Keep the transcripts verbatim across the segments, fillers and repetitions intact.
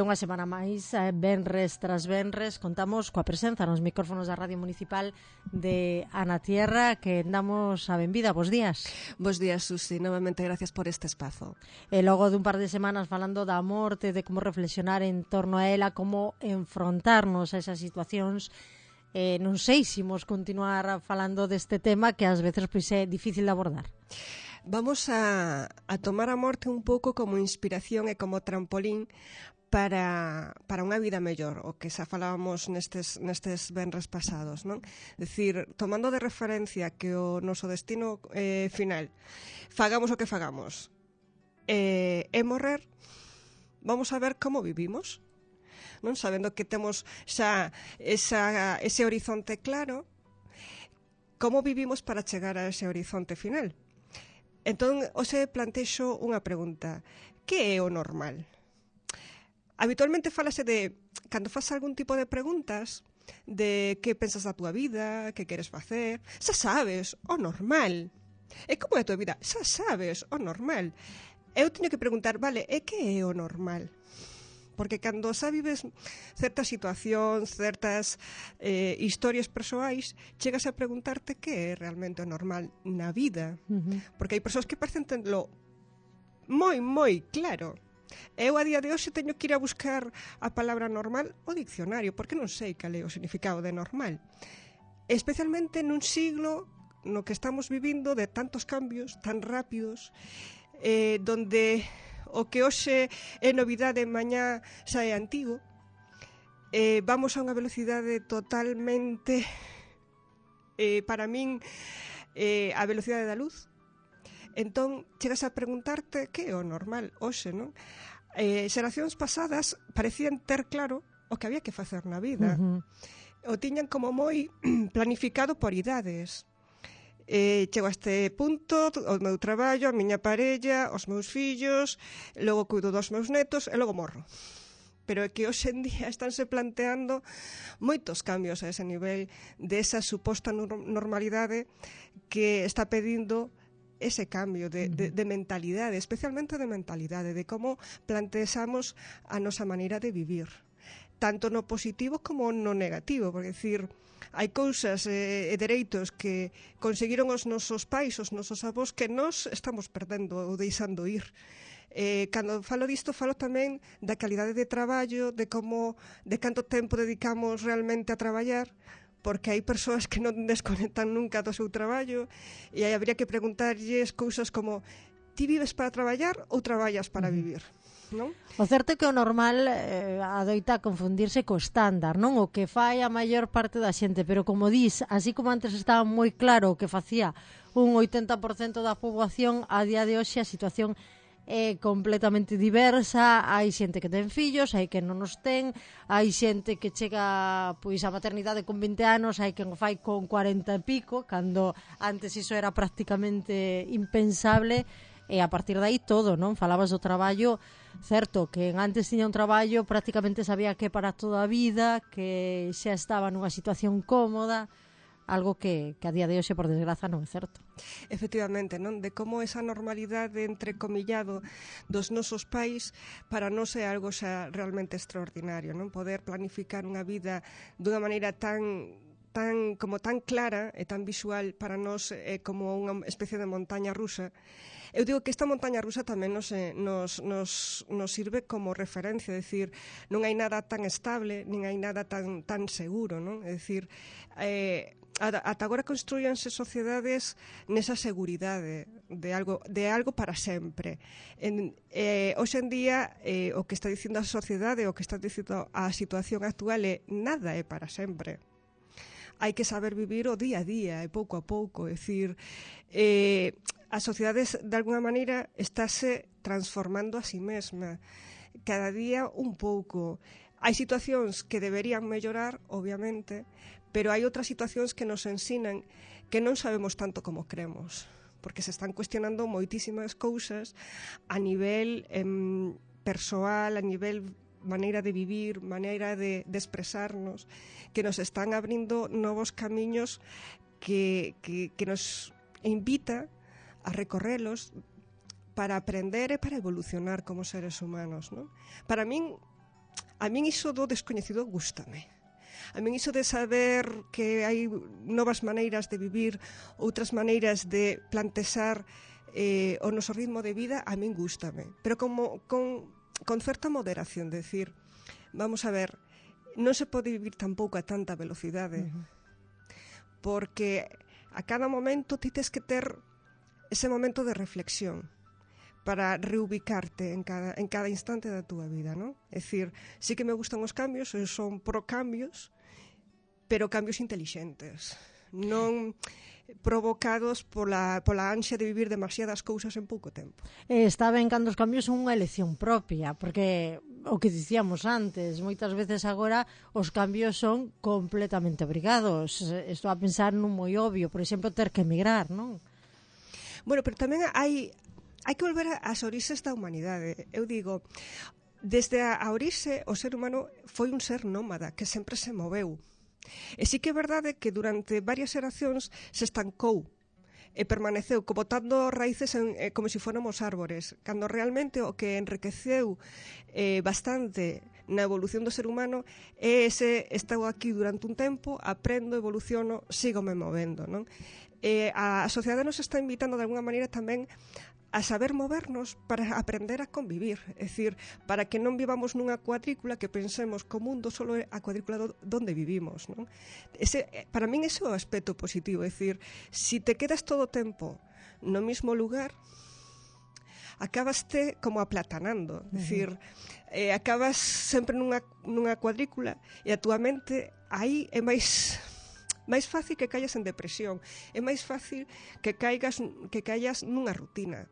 unha semana máis, eh, venres tras venres, contamos coa presenza nos micrófonos da Radio Municipal de Ana Tierra, que damos a benvida. Bos días. Bos días, Susi. Novamente, gracias por este espazo. E logo dun par de semanas falando da morte, de como reflexionar en torno a ela, como enfrontarnos a esas situacións, eh, non sei se imos continuar falando deste tema que ás veces pois, é difícil de abordar. Vamos a, a tomar a morte un pouco como inspiración e como trampolín para, para unha vida mellor, o que xa falábamos nestes, nestes venres pasados, non? Decir, tomando de referencia que o noso destino eh, final, fagamos o que fagamos, eh, é morrer, vamos a ver como vivimos, non? Sabendo que temos xa esa, ese horizonte claro, como vivimos para chegar a ese horizonte final. Entón, hoxe plantexo unha pregunta. Que é o normal? Habitualmente falase de, cando faz algún tipo de preguntas, de que pensas da túa vida, que queres facer, xa sabes, o normal. E como é a túa vida? Xa sabes, o normal. Eu teño que preguntar, vale, e que é o normal? Porque cando xa vives certas situacións, certas eh, historias persoais, chegas a preguntarte que é realmente o normal na vida. Uh-huh. Porque hai persoas que parecen tenlo moi, moi claro. Eu a día de hoxe teño que ir a buscar a palabra normal ao diccionario, porque non sei cal é o significado de normal. Especialmente nun siglo no que estamos vivindo de tantos cambios tan rápidos, eh, donde o que hoxe é novidade mañá xa é antigo, eh, vamos a unha velocidade totalmente, eh, para min, eh, a velocidade da luz. Entón, chegas a preguntarte que é o normal hoxe, non? Eh, xeracións pasadas parecían ter claro o que había que facer na vida. Uh-huh. O tiñan como moi planificado por idades. Eh, chego a este punto, o meu traballo, a miña parella, os meus fillos, logo cuido dos meus netos e logo morro. Pero é que hoxe en día estánse planteando moitos cambios a ese nivel de esa suposta normalidade que está pedindo ese cambio de, de, de mentalidade, especialmente de mentalidade, de como planteamos a nosa maneira de vivir, tanto no positivo como no negativo, porque decir, hai cousas e eh, dereitos que conseguiron os nosos pais, os nosos avós, que nós estamos perdendo ou deixando ir. Eh, cando falo disto, falo tamén da calidade de traballo, de como, de canto tempo dedicamos realmente a traballar, porque hai persoas que non desconectan nunca do seu traballo, e aí habría que preguntarlles cousas como: ti vives para traballar ou traballas para vivir? Non? O certo é que o normal eh, adoita confundirse co estándar, non? O que fai a maior parte da xente, pero como dis, así como antes estaba moi claro o que facía un oitenta por cento da poboación, a día de hoxe a situación é completamente diversa. Hai xente que ten fillos, hai que non os ten, hai xente que chega pois a maternidade con vinte anos, hai quen o fai con cuarenta e pico, cando antes iso era prácticamente impensable. E a partir de aí todo, non? Falabas do traballo, certo, que antes tiña un traballo, prácticamente sabía que para toda a vida, que xa estaba nunha situación cómoda, algo que, que a día de hoxe, por desgraza, non é certo. Efectivamente, non? De como esa normalidade, entrecomillado, dos nosos pais, para nós é algo xa realmente extraordinario, non? Poder planificar unha vida dunha maneira tan tan como tan clara e tan visual, para nós é como unha especie de montaña rusa. Eu digo que esta montaña rusa tamén nos, nos, nos, nos sirve como referencia, é dicir, non hai nada tan estable, nin hai nada tan, tan seguro, non? É dicir, eh, ata agora construíanse sociedades nesa seguridade de algo, de algo para sempre. En, eh, hoxe en día, eh, o que está dicindo a sociedade, o que está dicindo a situación actual é nada é para sempre. Hai que saber vivir o día a día e pouco a pouco, é dicir, eh, a sociedade de alguna maneira estáse transformando a si mesma, cada día un pouco. Hai situacións que deberían mellorar, obviamente, pero hai outras situacións que nos ensinan que non sabemos tanto como cremos, porque se están cuestionando moitísimas cousas a nivel em, persoal, a nivel maneira de vivir, maneira de, de expresarnos, que nos están abrindo novos camiños que, que, que nos invita a recorrelos para aprender e para evolucionar como seres humanos, non? Para min, A min iso do descoñecido gústame. A min iso de saber que hai novas maneiras de vivir, outras maneiras de plantexar eh, o noso ritmo de vida, a min gústame. Pero como con, con certa moderación, de decir, vamos a ver, non se pode vivir tampouco a tanta velocidade, uh-huh. porque a cada momento ti tes que ter ese momento de reflexión para reubicarte en cada, en cada instante da túa vida, non? É dicir, sí que me gustan os cambios, eu son pro cambios, pero cambios intelixentes, non provocados pola, pola ansia de vivir demasiadas cousas en pouco tempo. Eh, está ben cando os cambios son unha elección propia, porque o que dicíamos antes, moitas veces agora os cambios son completamente obrigados. Estou a pensar nun moi obvio, por exemplo, ter que emigrar, non? Bueno, pero tamén hai, hai que volver ás orixes da humanidade. Eu digo, desde a, a orixe, o ser humano foi un ser nómada, que sempre se moveu. E sí que é verdade que durante varias xeracións se estancou e permaneceu como botando raíces en, eh, como se si fóramos árbores, cando realmente o que enriqueceu eh, bastante na evolución do ser humano é ese estou aquí durante un tempo, aprendo, evoluciono, sígome movendo, non? Eh, a, a sociedade nos está invitando de alguna maneira tamén a saber movernos para aprender a convivir, é dicir, para que non vivamos nunha cuadrícula que pensemos que o mundo só é a cuadrícula do, donde vivimos, non? Ese, para min ese é o aspecto positivo, é dicir, si te quedas todo o tempo no mismo lugar, acabaste como aplatanando, é dicir, eh, acabas sempre nunha, nunha cuadrícula e a túa mente aí é máis máis fácil que callas en depresión, é máis fácil que caigas que callas nunha rutina.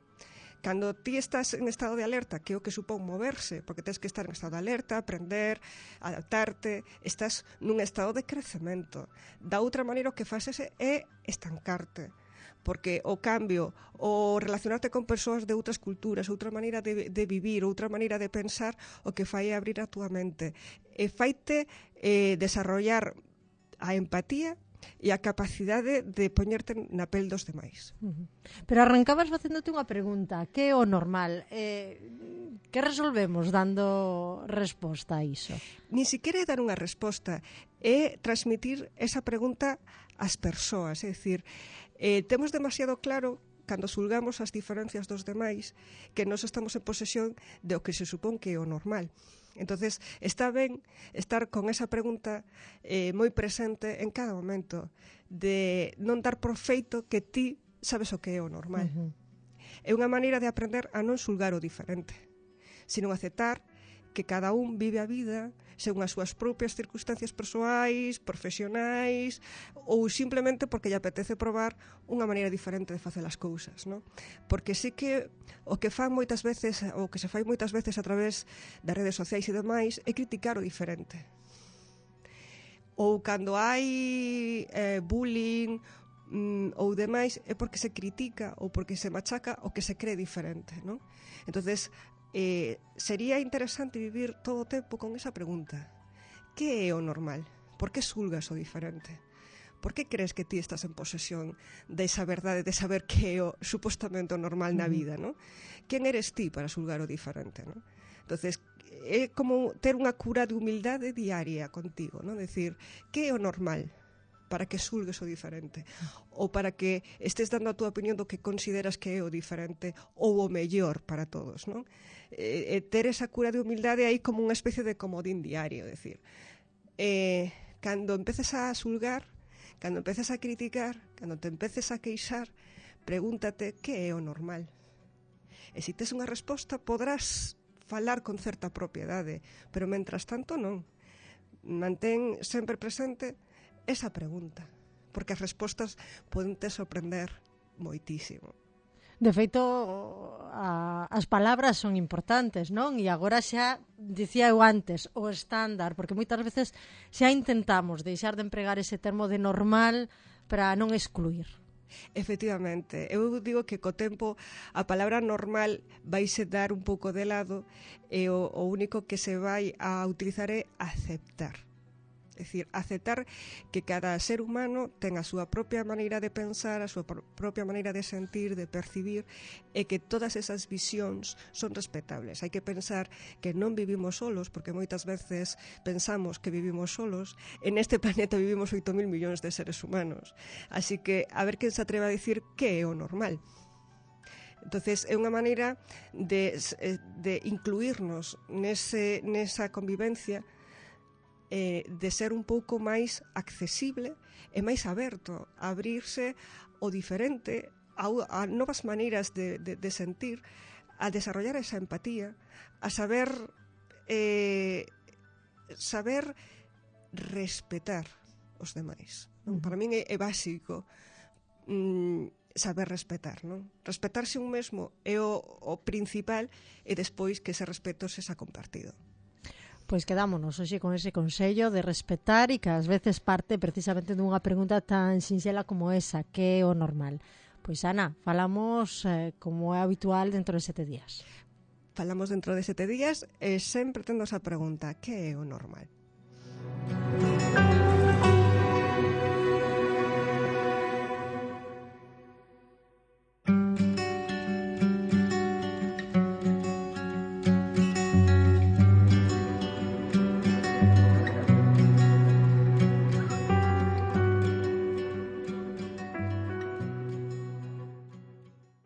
Cando ti estás en estado de alerta, que é o que supón moverse, porque tens que estar en estado de alerta, aprender, adaptarte, estás nun estado de crecemento. Da outra maneira o que fases é estancarte, porque o cambio, o relacionarte con persoas de outras culturas, outra maneira de, de vivir, outra maneira de pensar, o que fai é abrir a túa mente. E faite eh, desarrollar a empatía e a capacidade de poñerte na pel dos demais. Uh-huh. Pero arrancabas facéndote unha pregunta, que é o normal? Eh, que resolvemos dando resposta a iso? Ni siquiera é dar unha resposta, é transmitir esa pregunta ás persoas, é dicir, eh, temos demasiado claro cando xulgamos as diferencias dos demais que nós estamos en posesión de o que se supón que é o normal. Entonces, está ben estar con esa pregunta eh, moi presente en cada momento, de non dar por feito que ti sabes o que é o normal. Uh-huh. É unha maneira de aprender a non xulgar o diferente, sino aceptar que cada un vive a vida según as súas propias circunstancias persoais, profesionais, ou simplemente porque lle apetece probar unha maneira diferente de facer as cousas, non? Porque sí que o que fan moitas veces, o que se fai moitas veces a través das redes sociais e demais, é criticar o diferente. Ou cando hai eh, bullying mm, ou demais, é porque se critica ou porque se machaca o que se cree diferente, non? Entonces, Eh, sería interesante vivir todo o tempo con esa pregunta: que é o normal? Por que xulgas o diferente? Por que crees que ti estás en posesión desa verdade de saber que é o supostamente o normal na vida, non? Quen eres ti para xulgar o diferente, non? Entonces, é como ter unha cura de humildade diaria contigo, non? Decir, que é o normal para que xulgues o diferente, ou para que estés dando a túa opinión do que consideras que é o diferente ou o mellor para todos, non? E, e ter esa cura de humildade aí como unha especie de comodín diario, decir, eh, cando empeces a xulgar, cando empeces a criticar, cando te empeces a queixar, pregúntate que é o normal. E se tes unha resposta, podrás falar con certa propiedade, pero mentras tanto non. Mantén sempre presente esa pregunta, porque as respostas poden te sorprender moitísimo. De feito, a, as palabras son importantes, non? E agora xa, dicía eu antes, o estándar, porque moitas veces xa intentamos deixar de empregar ese termo de normal para non excluir. Efectivamente, eu digo que co tempo a palabra normal vaise dar un pouco de lado e o, o único que se vai a utilizar é aceptar. É É dicir, aceptar que cada ser humano ten a súa propia maneira de pensar, a súa propia maneira de sentir, de percibir, e que todas esas visións son respetables. Hai que pensar que non vivimos solos, porque moitas veces pensamos que vivimos solos. En este planeta vivimos oito mil millóns de seres humanos. Así que a ver quen se atreve a dicir que é o normal. Entonces é unha maneira de, de incluirnos nese, nesa convivencia, eh, de ser un pouco máis accesible e máis aberto, a abrirse o diferente, a, a novas maneiras de, de, de sentir, a desarrollar esa empatía, a saber eh, saber respetar os demais. Non? Para min é, é básico mm, saber respetar, non? Respetarse un mesmo é o, o principal, e despois que ese respeto sexa compartido. Pois quedámonos hoxe con ese consello de respetar, e que ás veces parte precisamente dunha pregunta tan sinxela como esa, que é o normal. Pois Ana, falamos eh, como é habitual dentro de sete días. Falamos dentro de sete días e sempre tendo esa pregunta, que é o normal?